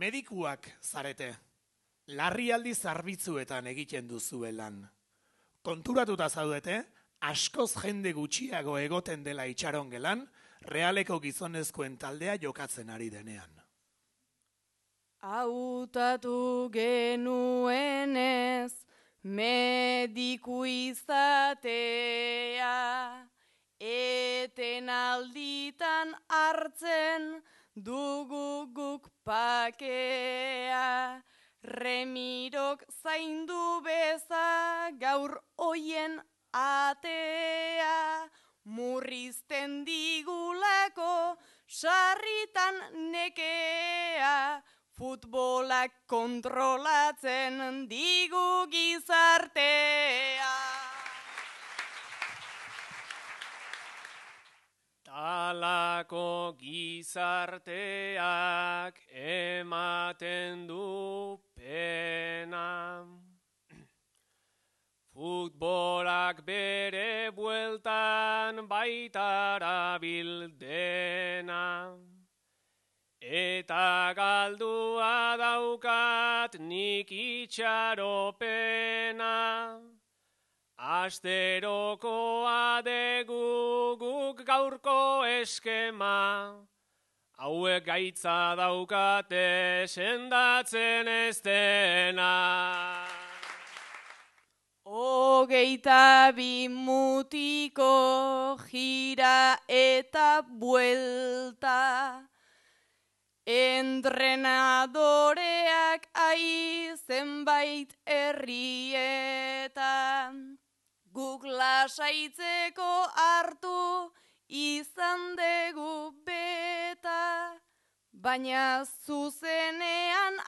Medikuak zarete, larrialdi zerbitzuetan egiten duzue lan. Konturatuta zaudete, askoz jende gutxiago egoten dela itxaron gelan, realeko gizonezkoen taldea jokatzen ari denean. Hautatu genuenez, mediku izatea, eten alditan hartzen dugu guk pakea, Remirok zaindu beza gaur oien atea, murrizten digulako sarritan nekea, futbolak kontrolatzen digu gizartea. Talako gizarteak ematen du pena. Futbolak bere bueltan baitara bildena. Eta galdua daukat nik itxaropena. Asterokoa degu guk gaurko eskema, hauek gaitza daukate sendatzen ez dena. 22 mutiko gira eta buelta, entrenadoreak zenbait herrietan, guk lasaitzeko hartu izan dugu beta, baina zuzenean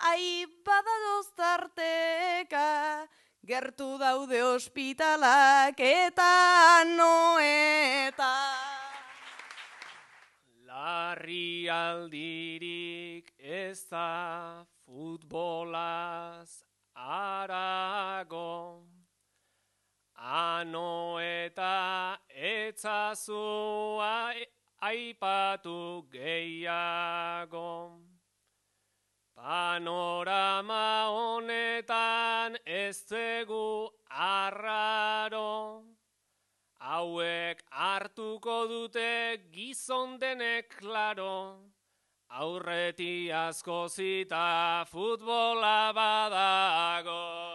badadoz tarteka, gertu daude ospitalak eta noeta. Larrialdirik ez da futbolaz harago, ano eta etzazu aipatu gehiago. Panorama honetan ez dugu arraro, hauek hartuko dute gizon denek klaro, aurreti asko zita futbola badago.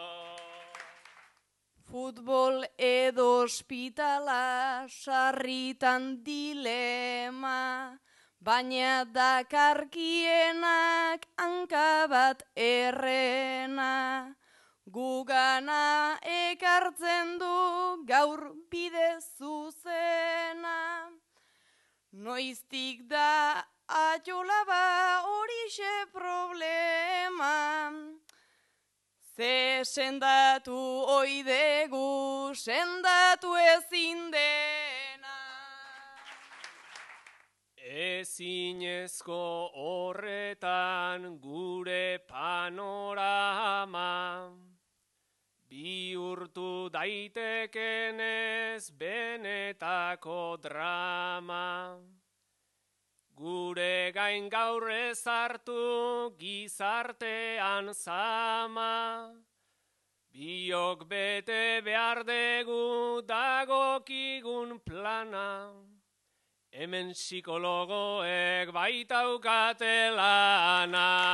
Futbol edo ospitala sarritan dilema, baina dakarkienak hanka bat errena. Gugana ekartzen du gaur bide zuzena. Noiztik da atxolaba horixe problema. Ze sendatu oidegu, sendatu ezin dena. Ezinezko horretan gure panorama, bihurtu daitekenez benetako drama. Gure gain gaur ez hartu gizartean zama, biok bete behar dugu dagokigun plana, hemen psikologoek baitaukate lana.